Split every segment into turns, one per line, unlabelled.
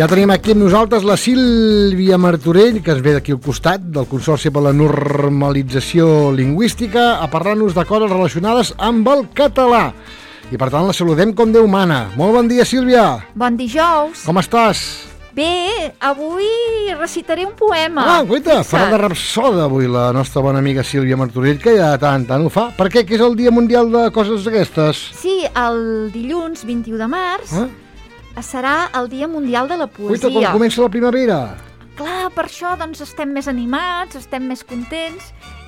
Ja tenim aquí amb nosaltres la Sílvia Martorell, que es ve d'aquí al costat, del Consorci per la Normalització Lingüística, a parlar-nos de coses relacionades amb el català. I per tant la saludem com Déu mana. Molt bon dia, Sílvia.
Bon dijous.
Com estàs?
Bé, avui recitaré un poema.
Ah, guaita, farà de rapsoda avui la nostra bona amiga Sílvia Martorell, que ja tant ho fa. Per què? Que és el Dia Mundial de coses d'aquestes?
Sí, el dilluns 21 de març serà el Dia Mundial de la Poesia.
Guaita, quan comença la primavera.
Clar, per això doncs, estem més animats, estem més contents,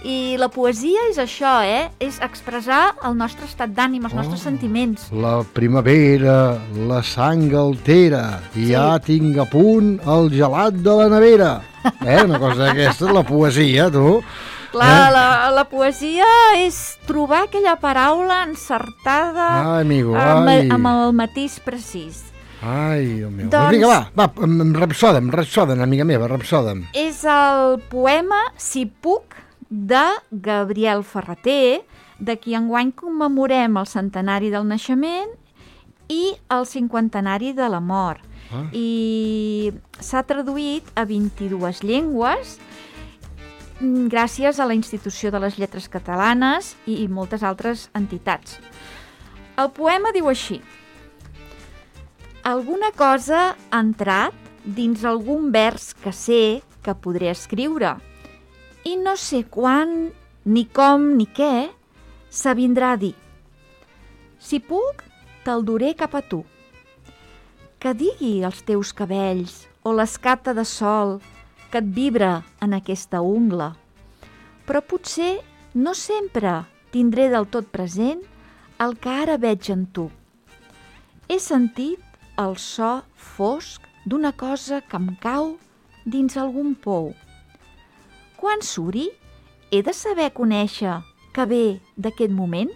i la poesia és això, és expressar el nostre estat d'ànim, els nostres sentiments.
La primavera, la sang altera, i ja tinc a punt el gelat de la nevera. Una cosa d'aquesta, la poesia, tu.
Clar, la poesia és trobar aquella paraula encertada amb el matís precís.
Ai, Déu meu. Doncs vinga, va, rapsoda'm, amiga meva, rapsoda'm.
És el poema Si puc, de Gabriel Ferrater, de qui enguany commemorem el centenari del naixement i el cinquantenari de la mort. I s'ha traduït a 22 llengües gràcies a la Institució de les Lletres Catalanes i moltes altres entitats. El poema diu així: alguna cosa ha entrat dins algun vers que sé que podré escriure i no sé quan, ni com, ni què s'avindrà a dir. Si puc, te'l duré cap a tu. Que digui els teus cabells o l'escata de sol que et vibra en aquesta ungla. Però potser no sempre tindré del tot present el que ara veig en tu. He sentit el so fosc d'una cosa que em cau dins algun pou. Quan suri, he de saber conèixer que ve d'aquest moment?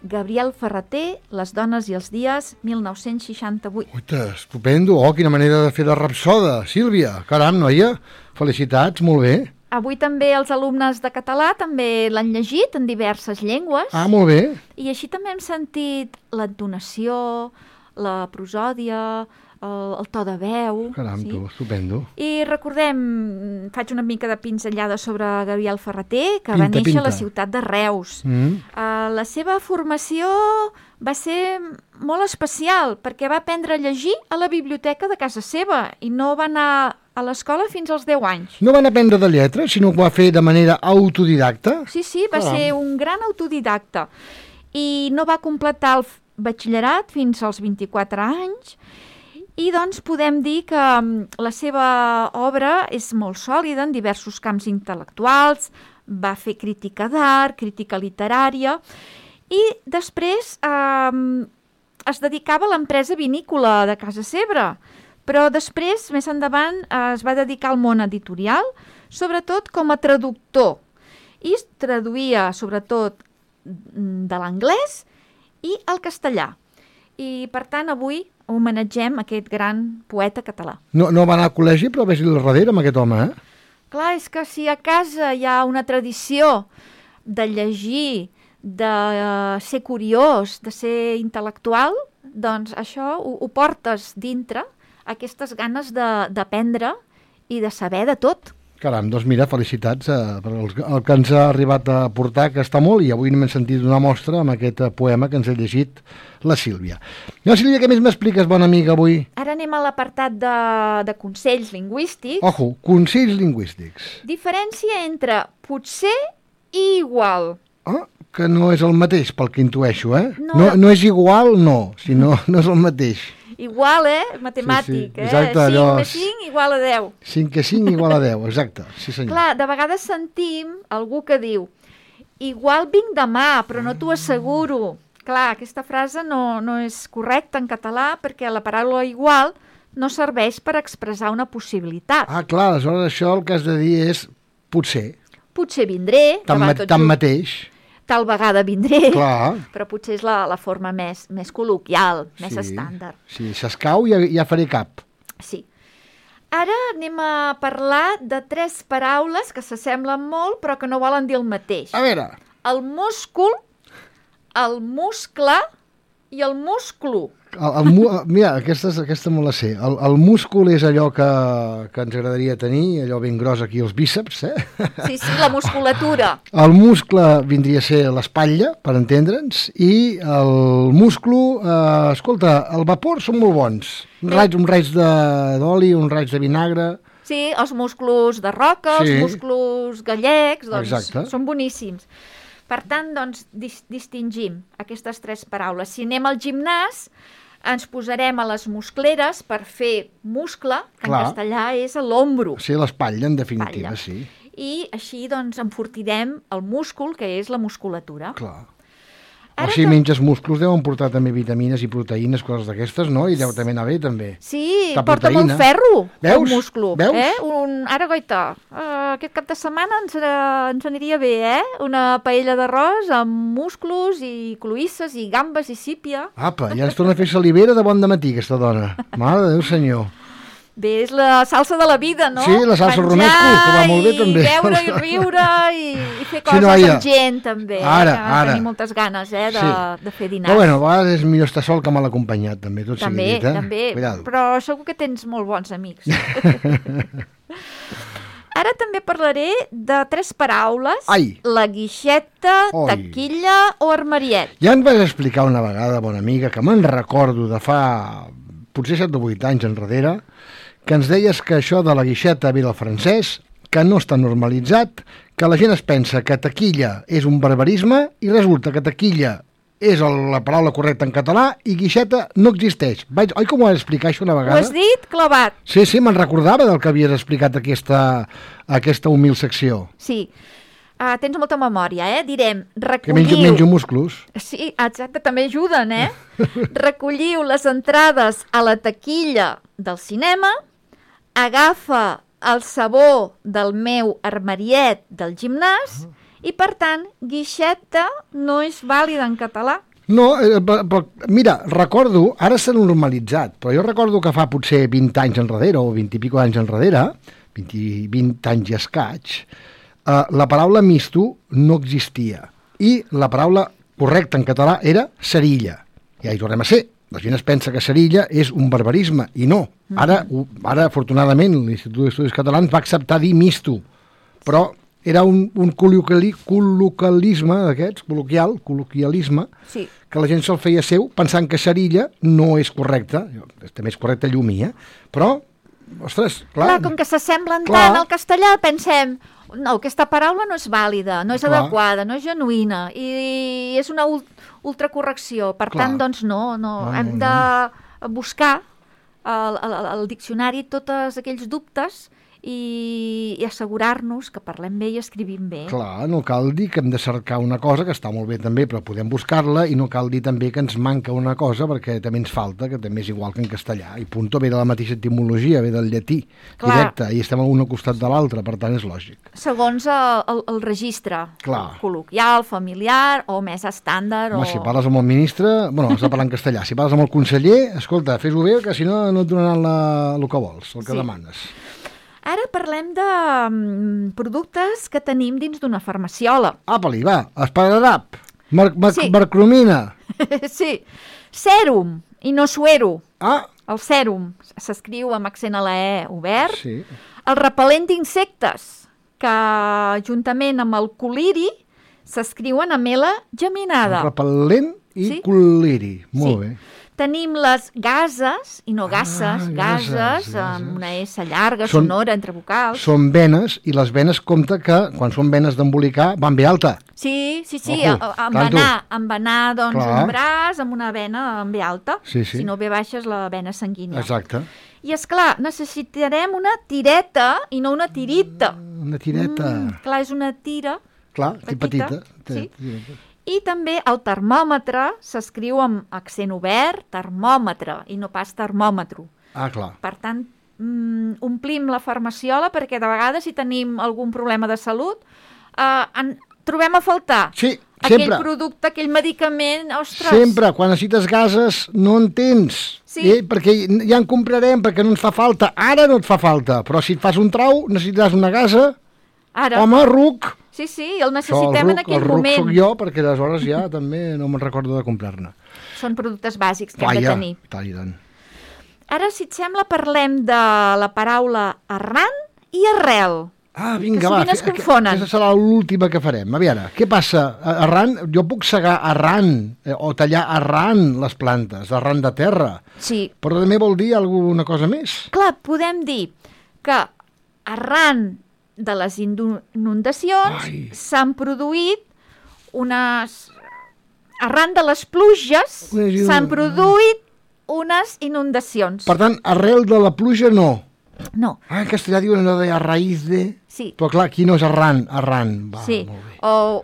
Gabriel Ferrater, Les dones i els dies, 1968.
Uita, estupendo. Quina manera de fer de rapsoda, Sílvia. Caram, noia, felicitats, molt bé.
Avui també els alumnes de català també l'han llegit en diverses llengües.
Ah, molt bé.
I així també hem sentit l'entonació, la prosòdia, el to de veu.
Caram, tu, estupendo.
I recordem, faig una mica de pinzellada sobre Gabriel Ferrater, que va néixer a la ciutat de Reus. La seva formació va ser molt especial, perquè va aprendre a llegir a la biblioteca de casa seva i no va anar a l'escola fins als 10 anys.
No van aprendre de lletres, sinó que ho va fer de manera autodidacta?
Sí, va ser un gran autodidacta. I no va completar el batxillerat fins als 24 anys, i doncs podem dir que la seva obra és molt sòlida en diversos camps intel·lectuals, va fer crítica d'art, crítica literària, i després es dedicava a l'empresa vinícola de casa seva, però després, més endavant, es va dedicar al món editorial, sobretot com a traductor, i traduïa sobretot de l'anglès i el castellà. I, per tant, avui homenatgem aquest gran poeta català.
No va anar al col·legi, però ves-hi al darrere amb aquest home,
Clar, és que si a casa hi ha una tradició de llegir, de ser curiós, de ser intel·lectual, doncs això ho portes dintre, aquestes ganes d'aprendre i de saber de tot.
Caram, doncs mira, felicitats per el que ens ha arribat a portar, que està molt, i avui n'hem sentit una mostra amb aquest poema que ens ha llegit la Sílvia. No, Sílvia, què més m'expliques, bona amiga, avui?
Ara anem a l'apartat de consells lingüístics.
Ojo, consells lingüístics.
Diferència entre potser i igual.
Que no és el mateix, pel que intueixo, No és igual, no, sinó no és el mateix.
Igual, matemàtic,
sí. Exacte,
5 més 5 igual a 10.
5 que 5 igual a 10, exacte, sí senyor.
Clar, de vegades sentim algú que diu igual vinc demà, però no t'ho asseguro. Clar, aquesta frase no és correcta en català perquè la paraula igual no serveix per expressar una possibilitat.
Clar, aleshores això el que has de dir és potser.
Potser vindré.
Tanmateix.
Tal vegada vindré,
clar,
però potser és la forma més col·loquial, més estàndard.
Sí, s'escau i ja faré cap.
Sí. Ara anem a parlar de 3 paraules que s'assemblen molt però que no volen dir el mateix.
A veure.
El múscul, el muscle i el musclo.
Mira, aquesta me la sé. El múscul és allò que ens agradaria tenir, allò ben gros aquí als bíceps,
Sí, la musculatura.
El muscle vindria a ser l'espatlla, per entendre'ns, i el musclo, escolta, el vapor són molt bons. Un raig d'oli, un raig de vinagre...
Sí, els musclos de roca, els musclos gallecs, doncs són boníssims. Per tant, doncs, distingim aquestes 3 paraules. Si anem al gimnàs, ens posarem a les muscleres per fer muscle, que en castellà és l'ombro.
Sí, l'espatlla, en definitiva, sí.
I així, doncs, enfortirem el múscul, que és la musculatura.
Clar. O si menges músculs deuen portar també vitamines i proteïnes, coses d'aquestes, no? I deu també anar bé, també.
Sí, porta molt ferro, el múscul.
Veus?
Ara, goita, aquest cap de setmana ens aniria bé, Una paella d'arròs amb musclos i cloïsses i gambes i sípia.
Apa, ja ens torna a fer salivera de bon dematí, aquesta dona. Mare de Déu, senyor.
Bé, és la salsa de la vida, no?
Sí, la salsa romesco, que va molt bé, també.
I beure i riure i fer coses amb gent, també.
Ara.
Tenir moltes ganes, de fer dinars.
Però bueno, a vegades és millor estar sol que mal acompanyat, també, tot sigui dit,
També,
cuidado.
Però segur que tens molt bons amics. Ara també parlaré de 3 paraules. La guixeta, taquilla o armariet.
Ja em vas explicar una vegada, bona amiga, que me'n recordo de fa potser 7 o 8 anys enrere, que ens deies que això de la guixeta ve del francès, que no està normalitzat, que la gent es pensa que taquilla és un barbarisme i resulta que taquilla és la paraula correcta en català i guixeta no existeix. Oi que m'ho vas explicar això una vegada?
Ho has dit clavat.
Sí, me'n recordava del que havies explicat aquesta humil secció.
Sí. Tens molta memòria, Direm,
recolliu... Que menjo músculos.
Sí, exacte, també ajuden, Recolliu les entrades a la taquilla del cinema, agafa el sabó del meu armariet del gimnàs i, per tant, guixeta no és vàlida en català.
No, però mira, recordo, ara s'ha normalitzat, però jo recordo que fa potser 20 anys enrere, o 20 i pico anys enrere, 20 anys i escaig, la paraula misto no existia i la paraula correcta en català era cerilla. Ja hi tornem a ser. La gent es pensa que cerilla és un barbarisme i no. Ara afortunadament, l'Institut d'Estudis Catalans va acceptar dir misto, però era un col·loquialisme d'aquests, col·loquialisme, que la gent se'l feia seu pensant que cerilla no és correcta. També és correcta llumí, però, ostres, clar...
Com que s'assemblen tant al castellà, pensem... No, aquesta paraula no és vàlida, no és adequada, no és genuïna i és una ultracorrecció. Per tant, doncs no. Hem de buscar al diccionari tots aquells dubtes i assegurar-nos que parlem bé i escrivim bé.
Clar, no cal dir que hem de cercar una cosa, que està molt bé també, però podem buscar-la, i no cal dir també que ens manca una cosa, perquè també ens falta, que també és igual que en castellà. I punto ve de la mateixa etimologia, ve del llatí directe, i estem un al costat de l'altre, per tant és lògic.
Segons el registre col·loquial, familiar o més estàndard.
Home, si parles amb el ministre, bueno, has de parlar en castellà. Si parles amb el conseller, escolta, fes-ho bé, que si no, no et donaran el que vols, el que demanes.
Ara parlem de productes que tenim dins d'una farmaciola.
Apa-li, va, esparadrap, mercromina.
Sí, sèrum i no suero.
Ah.
El sèrum s'escriu amb accent a la E obert.
Sí.
El repel·lent d'insectes, que juntament amb el coliri s'escriuen amb L geminada.
El repel·lent i coliri, molt bé.
Tenim les gases, i no gasses, gases, amb una S llarga, sonora, entre vocals.
Són venes, i les venes compta que, quan són venes d'embolicar, van bé alta.
Sí, embenar doncs, un braç amb una vena amb bé alta, si no bé baixa és la vena sanguínia.
Exacte.
I, esclar, necessitarem una tireta i no una tirita.
Una tireta.
Clar, és una tira
petita.
Sí. I també el termòmetre s'escriu amb accent obert, termòmetre, i no pas termòmetro.
Ah, clar.
Per tant, omplim la farmaciola perquè de vegades si tenim algun problema de salut trobem a faltar aquell producte, aquell medicament, ostres.
Sempre, quan necessites gases no en tens, perquè ja en comprarem perquè no ens fa falta. Ara no et fa falta, però si et fas un trau necessitaràs una gasa, home, ruc.
Sí, el necessitem en aquell moment.
El ruc soc jo, perquè aleshores ja també no me'n recordo de comprar-ne.
Són productes bàsics que hem de tenir.
Tal i tant.
Ara, si et sembla, parlem de la paraula arran i arrel.
Vinga,
que sovint es confonen.
Aquesta serà l'última que farem. A veure, què passa? Arran, jo puc segar arran o tallar arran les plantes, arran de terra.
Sí.
Però també vol dir alguna cosa més.
Clar, podem dir que arran de les inundacions s'han produït unes... Arran de les pluges s'han produït unes inundacions.
Per tant, arrel de la pluja no.
No.
En castellà diuen allò de a raïz de...
Sí.
Però clar, aquí no és arran. Va,
sí.
Molt bé.
O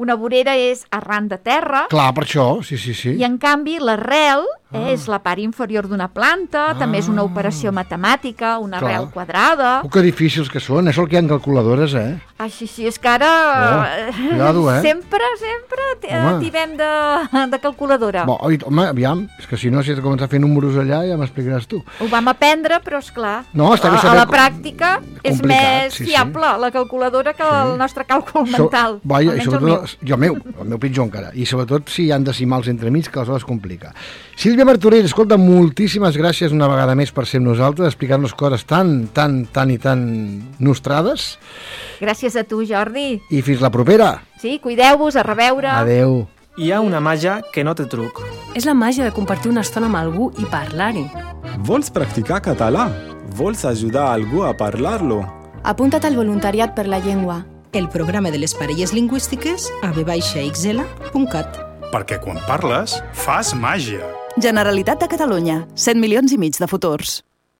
una vorera és arran de terra.
Clar, per això, sí.
I en canvi l'arrel és la part inferior d'una planta, també és una operació matemàtica, una arrel quadrada.
Que difícils que són, això el que hi ha en calculadores,
Sí, és que ara
cuidado,
sempre tibem de calculadora.
Home, aviam, és que si no, si has de començar a fer números allà, ja m'explicaràs tu.
Ho vam aprendre, però esclar,
a
la pràctica és més fiable la calculadora que el nostre càlcul mental.
I sobretot, el meu pitjor encara, i sobretot si hi han decimals entremig, que aleshores complica. Sílvia Martorell, escolta, moltíssimes gràcies una vegada més per ser amb nosaltres, explicar-nos coses tan nostrades.
Gràcies a tu, Jordi.
I fins la propera.
Sí, cuideu-vos, a reveure.
Adeu.
Hi ha una màgia que no té truc.
És la màgia de compartir una estona amb algú i parlar-hi.
Vols practicar català? Vols ajudar algú a parlar-lo?
Apunta't al voluntariat per la llengua.
El programa de les parelles lingüístiques a v-xl.cat.
Perquè quan parles, fas màgia.
Generalitat de Catalunya, 7,5 milions de futurs.